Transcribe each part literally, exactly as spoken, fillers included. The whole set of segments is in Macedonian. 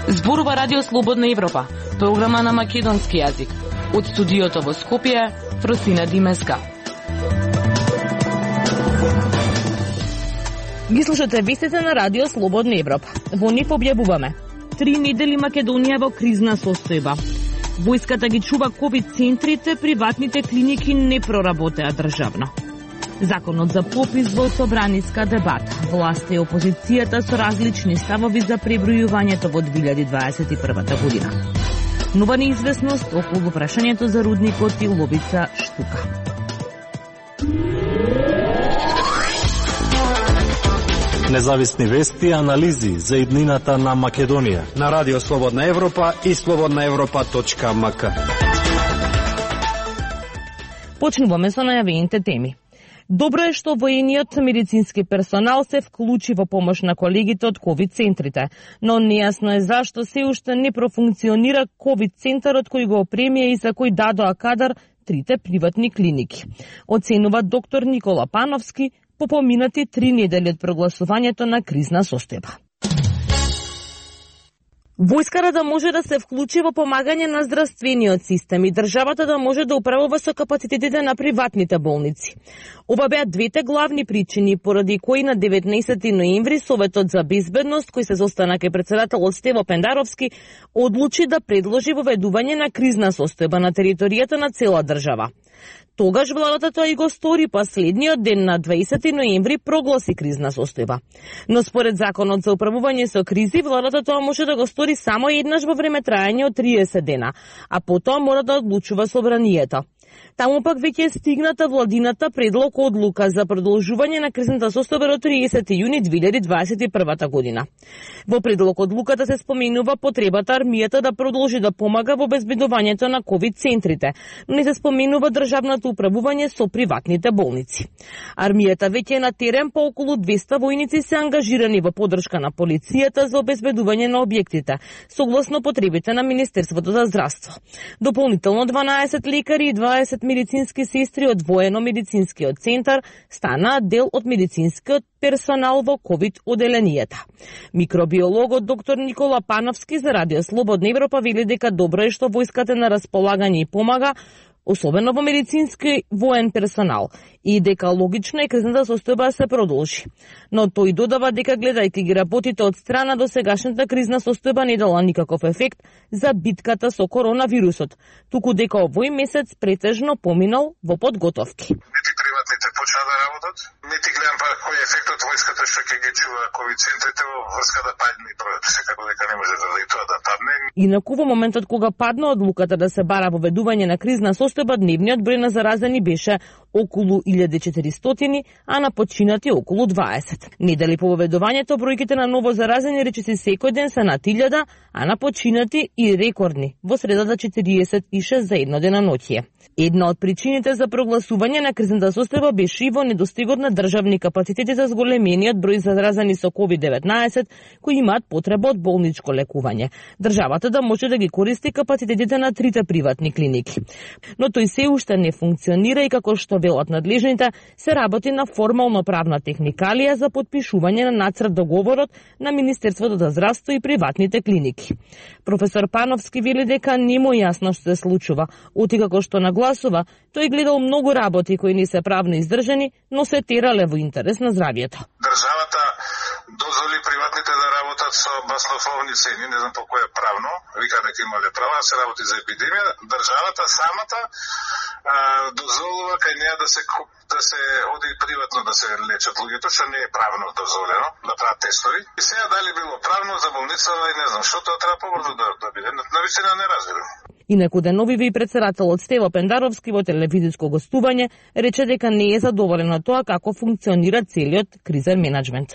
Зборува Радио Слободна Европа, програма на македонски јазик. Од студиото во Скопје, Фросина Димеска. Ги слушате вестите на Радио Слободна Европа. Во нив објавуваме: Три недели Македонија во кризна состојба. Војската ги чува ковид центрите, приватните клиники не проработеа државно. Законот за попис во собраниска дебата. Власта и опозицијата со различни ставови за пребројувањето во две илјади дваесет и прва година. Нова неизвестност околу прашањето за рудникот и Лобица Штука. Независни вести и анализи за иднината на Македонија на Радио Слободна Европа и слободна европа точка ем ка. Почнуваме со најавените теми. Добро е што воениот медицински персонал се вклучи во помош на колегите од ковид центрите, но нејасно е зашто се уште не профункционира ковид центарот кој го опремија и за кој дадоа кадар трите приватни клиники. Оценува доктор Никола Пановски по поминати три недели од прогласувањето на кризна состојба. Војската да може да се вклучи во помагање на здравствениот систем и државата да може да управува со капацитетите на приватните болници. Ова беа двете главни причини поради кои на деветнаесети ноември Советот за безбедност, кој се состана кај претседателот Стево Пендаровски, одлучи да предложи воведување на кризна состојба на територијата на цела држава. Тогаш владата тоа и го стори, последниот ден на дваесети ноември прогласи кризна состојба. Но според законот за управување со кризи, владата тоа може да го стори само еднаш во време трајање од триесет дена, а потоа мора да одлучува собранието. Таму пак веќе е стигната владината предлог одлука за продолжување на кризната состојба до триесети јуни две илјади дваесет и прва година. Во предлог одлуката се споменува потребата армијата да продолжи да помага во обезбедувањето на ковид центрите, но не се споменува државното управување со приватните болници. Армијата веќе е на терен, по околу двеста војници се ангажирани во поддршка на полицијата за обезбедување на објектите, согласно потребите на Министерството за здравство. Дополнително дванаесет лекари и дваесет медицински сестри од воено-медицинскиот центар станаа дел од медицинскиот персонал во ковид оделенијата. Микробиологот доктор Никола Пановски за Радио Слободна Европа вели дека добро е што војската на располагање и помага, особено во медицински воен персонал, и дека логично е кризната состојба се продолжи. Но тој додава дека гледајќи ги работите од страна, до сегашната кризна состојба не дала никаков ефект за битката со коронавирусот, туку дека овој месец претежно поминал во подготовки. Нити приватните почнаа да работат, нити гледам па кој е ефектот војската што ќе ги чува ковид центрите во врска да падне бројот, секако дека не може да тоа да падне. Инаку во моментот кога падна одлуката да се бара воведување на кризна состојба, дневниот број на заразени беше околу илјада и четиристотини, а на починати околу дваесет. Недели по воведувањето, бројките на ново заразени речиси секој ден се над илјада, а на починати и рекордни, во средата четириесет и шест за едно денаноќие. Една од причините за прогласување на кризната состојба беше и во недостигот на државни капацитети за зголемениот број заразени со ковид деветнаесет, кои имаат потреба од болничко лекување. Државата да може да ги користи капацитетите на трите приватни клиники. Но тој се уште не функционира и како што велат надлежните, се работи на формално правна техникалија за подпишување на нацрт договорот на Министерството за здравство и приватните клиники. Професор Пановски вели дека не му јасно што се случува, оти како што нагласува, тој гледал многу работи кои не се правно издржани, но се терале во интерес на здравието. Државата дозволи приватните да работат со баснословни цени, не знам по кој е правно, вика дека имале права да се работи за епидемија. Државата самата а, дозволува кај неа да се да се оди приватно да се лечат луѓето, што не е правно дозволено, да прават тестови. И сега дали било правно за болница, и не знам, што тоа треба побрзо да, да биде. Навистина не разбирам. Инаку деновиве и претседателот Стево Пендаровски во телевизиско гостување рече дека не е задоволен од тоа како функционира целиот кризен менеджмент.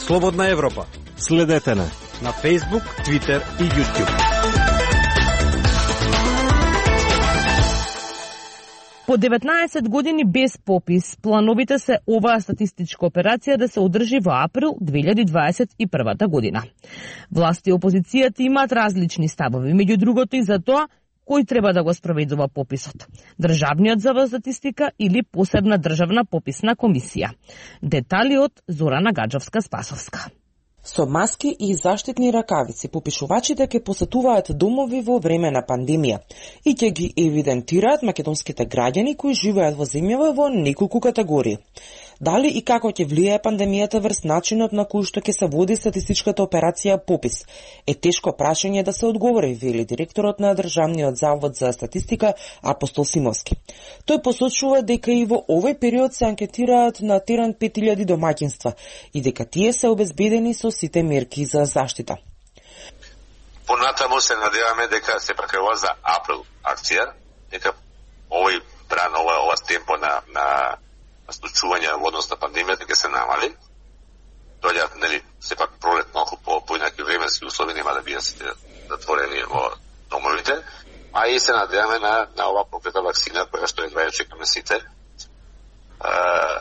Слободна Европа. Следете не на Facebook, Twitter и YouTube. По деветнаесет години без попис, плановите се оваа статистичка операција да се одржи во април две илјади дваесет и прва година. Власти и опозицијата имаат различни ставови, меѓу другото и за тоа кој треба да го спроведува пописот? Државниот завод за статистика или посебна државна пописна комисија? Детали од Зорана Гаджовска-Спасовска. Со маски и заштитни ракавици, попишувачите ќе посетуваат домови во време на пандемија и ќе ги евидентираат македонските граѓани кои живеат во земјава во неколку категории. Дали и како ќе влијае пандемијата врз начинот на кој што ќе се води статистичката операција попис е тешко прашање да се одговори, вели директорот на Државниот завод за статистика Апостол Симовски. Тој посочува дека и во овој период се анкетираат на терен пет илјади домаќинства и дека тие се обезбедени со сите мерки за заштита. Понатаму се надеваме дека се прекрува за април акција, дека овој бран, ова, ова темпо на, на случување во однос на пандемијата ќе се намали. Доаѓаат, нели, сепак пролет малку по поинаки временски услови, нема да бидат сите затворени во домовите, а и се надеваме на, на ова проклета вакцина, која што едва ја чекаме сите. А,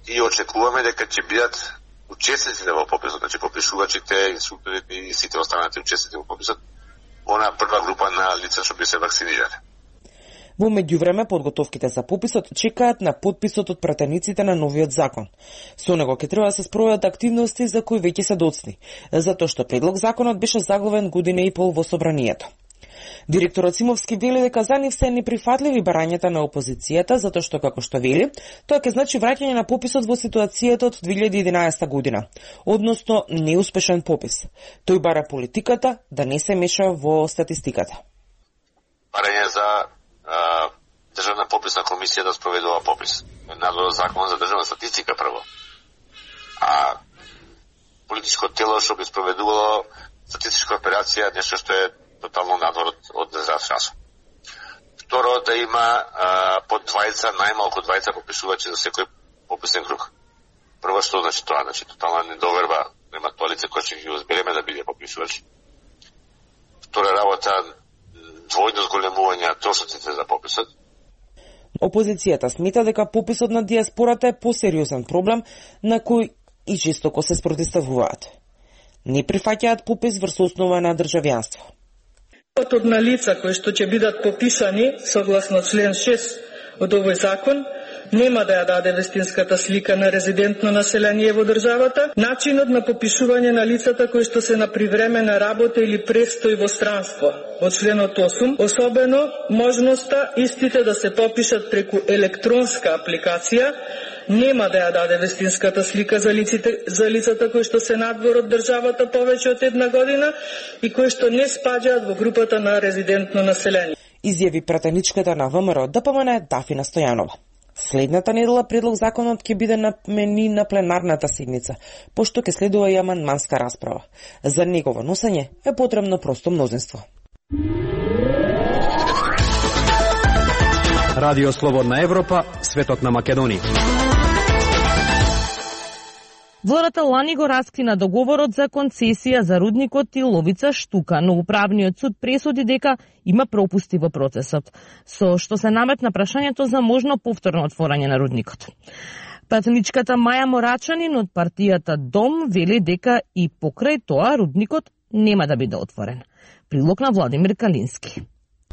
и очекуваме дека ќе бидат учесниците во пописот, значи попишувачите, инструкторите и сите останати учесници во пописот, она прва група на лица што би се вакцинирали. Во меѓувреме, подготовките за пописот чекаат на подписот од пратениците на новиот закон. Со него ќе треба да се спроведат активности за кои веќе се доцни, затоа што предлог законот беше заглавен година и пол во собранието. Директорот Симовски вели дека за нив се неприфатливи барањата на опозицијата, затоа што, како што вели, тоа ќе значи враќање на пописот во ситуацијата од две илјади и единаесетта година, односно неуспешен попис. Тој бара политиката да не се меша во статистиката. Барање за Државна пописна комисија да спроведува попис. Надвор закон за државна статистика прво. А политичко тело што би спроведувало статистичка операција, нешто што е тотално надвор од независност. Второ, да има а, по двајца, најмалку двајца попишувачи за секој пописен круг. Прво што значи тоа, значи тотална недоверба нема тоа лице кој ќе ги озбереме да биде попишувач. Втора работа, двојно зголемување на трошоците за пописот. Опозицијата смета дека пописот на диаспората е посериозен проблем на кој и жестоко се спротивуваат. Не прифаќаат попис врз основа на државјанство. Од на лица кои што ќе бидат пописани согласно член шест од овој закон нема да ја даде вистинската слика на резидентно население во државата, начинот на попишување на лицата кои што се на привремена работа или престој во странство од членот осум, особено можноста истите да се попишат преку електронска апликација, нема да ја даде вистинската слика за лиците за лицата кои што се надвор од државата повеќе од една година и кои што не спаѓаат во групата на резидентно население. Изјави пратеничката на ВМРО ДПМН Дафина Стојанова. Следната недела предлог законот ќе биде намени на пленарната седница, пошто ќе следува и амандманска расправа. За негово носење е потребно просто мнозинство. Радио Слободна Европа, светот на Македонија. Владата лани го раскина договорот за концесија за рудникот Иловица Штука, но управниот суд пресуди дека има пропусти во процесот, со што се наметна прашањето за можно повторно отворање на рудникот. Пратеничката Маја Морачанин од партијата Дом вели дека и покрај тоа рудникот нема да биде отворен. Прилог на Владимир Калински.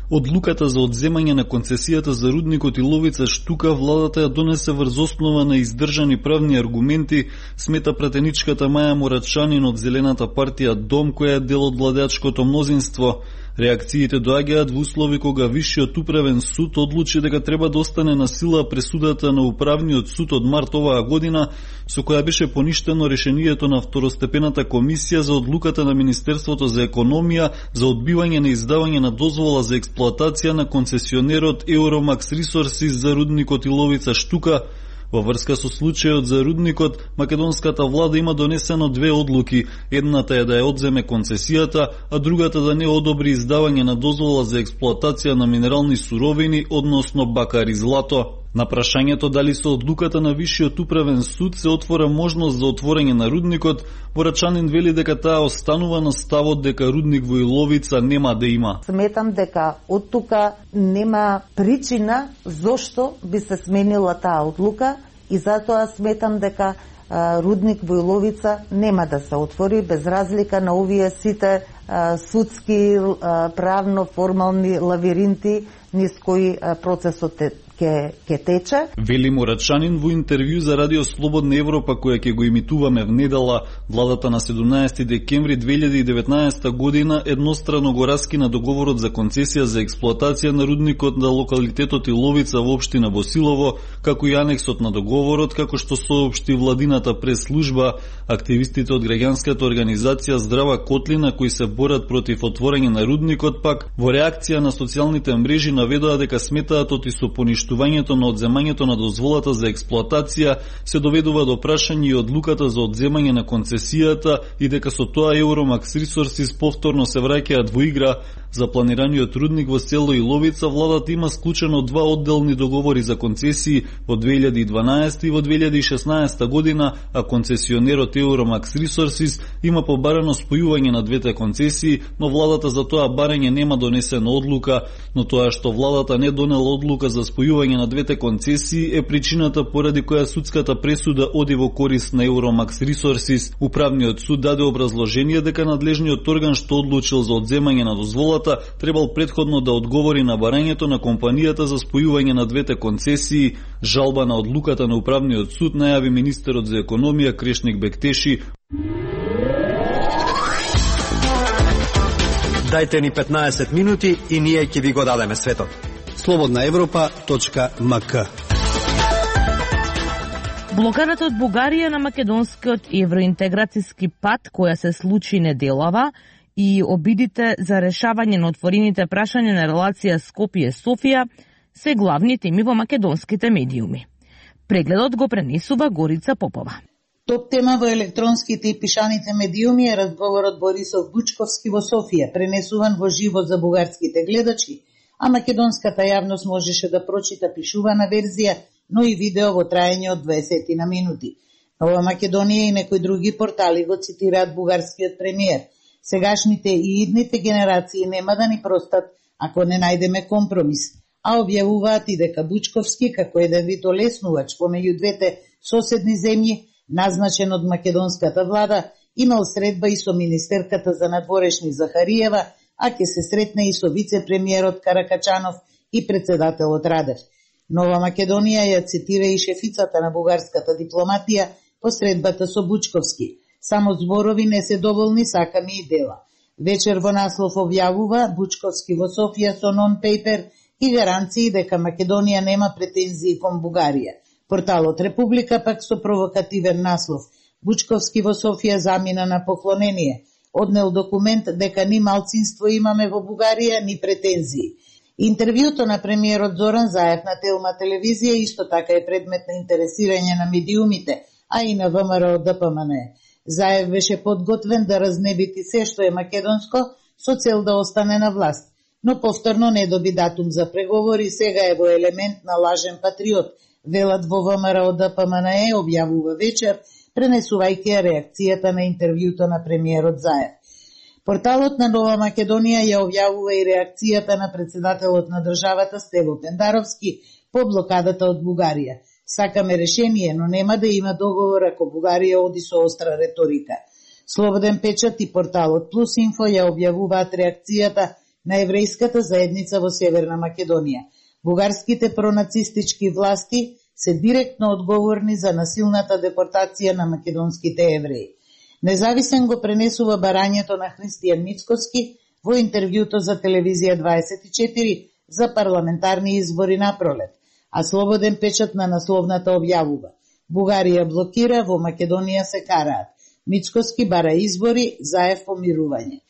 Одлуката за одземање на концесијата за рудникот Иловица Штука владата ја донесе врз основа на издржани правни аргументи, смета пратеничката Маја Морачанин од Зелената партија Дом, која е дел од владеачкото мнозинство. Реакциите доаѓаат во услови кога Висшиот управен суд одлучи дека треба да остане на сила пресудата на управниот суд од март оваа година, со која беше поништено решението на второстепената комисија за одлуката на Министерството за економија за одбивање на издавање на дозвола за експлоатација на концесионерот Euromax Resources за рудникот Иловица Штука. Во врска со случајот за рудникот, македонската влада има донесено две одлуки. Едната е да ја одземе концесијата, а другата да не одобри издавање на дозвола за експлоатација на минерални суровини, односно бакар и злато. На прашањето дали со одлуката на Висшиот управен суд се отвора можност за отворање на рудникот, Морачанин вели дека таа останува на ставот дека рудник во Иловица нема да има. Сметам дека од тука нема причина зошто би се сменила таа одлука и затоа сметам дека рудник во Иловица нема да се отвори без разлика на овие сите судски, правно формални лавиринти низ кои процесот е ке ке тече. Вели Морачанин во интервју за Радио Слободна Европа која ќе го имитуваме внедела. Владата на седумнаесети декември две илјади и деветнаесета година еднострано го раскина договорот за концесија за експлоатација на рудникот на локалитетот Иловица во општина Босилово, како и анексот на договорот, како што соопшти владината прес-служба. Активистите од граѓанската организација Здрава Котлина, кои се борат против отворање на рудникот, пак во реакција на социјалните мрежи наведоа дека сметаат оти со поништувањето на одземањето на дозволата за експлоатација се доведува до прашање и одлуката за одземање на концесијата и дека со тоа Euromax Resources повторно се враќаат во игра. За планираниот рудник во село Иловица владата има склучено два одделни договори за концесии во две илјади и дванаесета и во две илјади и шеснаесета година, а концесионерот Euromax Resources има побарано спојување на двете концесии, но владата за тоа барање нема донесена одлука. Но тоа што владата не донела одлука за спојување на двете концесии е причината поради која судската пресуда оди во корист на Euromax Resources. Управниот суд даде образложение дека надлежниот орган што одлучил за одземање на дозволата требал претходно да одговори на барањето на компанијата за спојување на двете концесии. Жалба на одлуката на Управниот суд најави министерот за економија Крешник Бектеши. Дајте ни петнаесет минути и ние ќе ви го дадеме светот. слободна европа точка ем ка. Блокадата од Бугарија на македонскиот евроинтеграцијски пат, која се случи неделава, и обидите за решавање на отворените прашања на релација Скопје-Софија се главни теми во македонските медиуми. Прегледот го пренесува Горица Попова. Топ тема во електронските и пишаните медиуми е разговорот Борисов Бучковски во Софија, пренесуван во живо за бугарските гледачи, а македонската јавност можеше да прочита пишувана верзија, но и видео во траење од дваесет на минути. Нова Македонија и некои други портали го цитираат бугарскиот премиер. Сегашните и идните генерации нема да ни простат ако не најдеме компромис, а објавуваат и дека Бучковски, како еден вид олеснувач помеѓу двете соседни земји, назначен од македонската влада, имал средба и со министерката за надворешни Захариева, а ќе се сретне и со вице-премиерот Каракачанов и председателот Радев. Нова Македонија ја цитира и шефицата на бугарската дипломатија по средбата со Бучковски. Само зборови не се доволни, сакаме и дела. Вечер во наслов објавува Бучковски во Софија со нон-пейпер и гаранции дека Македонија нема претензии кон Бугарија. Порталот Република пак со провокативен наслов Бучковски во Софија замина на поклонение. Однел документ дека ни малцинство имаме во Бугарија, ни претензии. Интервјуто на премиерот Зоран Заев на Телма телевизија исто така е предмет на интересирање на медиумите, а и на ВМРО Д П М Н Е. Заев беше подготвен да разнебити се што е македонско со цел да остане на власт, но повторно не доби датум за преговори, сега е во елемент на лажен патриот, велат во ВМРО Д П М Н Е, објавува вечер, пренесувајќи реакцијата на интервјуто на премиерот Заев. Порталот на Нова Македонија ја објавува и реакцијата на председателот на државата Стево Пендаровски по блокадата од Бугарија. Сакаме решение, но нема да има договор ако Бугарија оди со остра реторика. Слободен печат и порталот Плюс Инфо ја објавуваат реакцијата на еврејската заедница во Северна Македонија. Бугарските пронацистички власти се директно одговорни за насилната депортација на македонските евреи. Независен го пренесува барањето на Христијан Мицкоски во интервјуто за телевизија дваесет и четири за парламентарни избори на пролет, а Слободен печат на насловната објавува: Бугарија блокира, во Македонија се караат. Мицкоски бара избори, Заев помирување.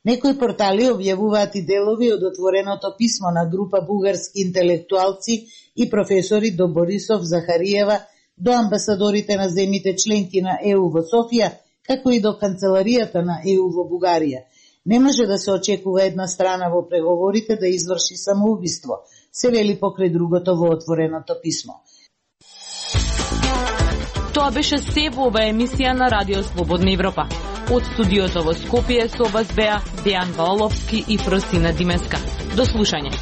Некои портали објавуваат и делови од отвореното писмо на група бугарски интелектуалци и професори до Борисов, Захариева, до амбасадорите на земите членки на Е У во Софија, како и до канцеларијата на Е У во Бугарија. Не може да се очекува една страна во преговорите да изврши самоубиство, се вели покрај другото во отвореното писмо. Тоа беше се во оваа емисија на Радио Слободна Европа. Од студиото во Скопје со вас беа Дејан Валовски и Фросина Димеска. До слушање.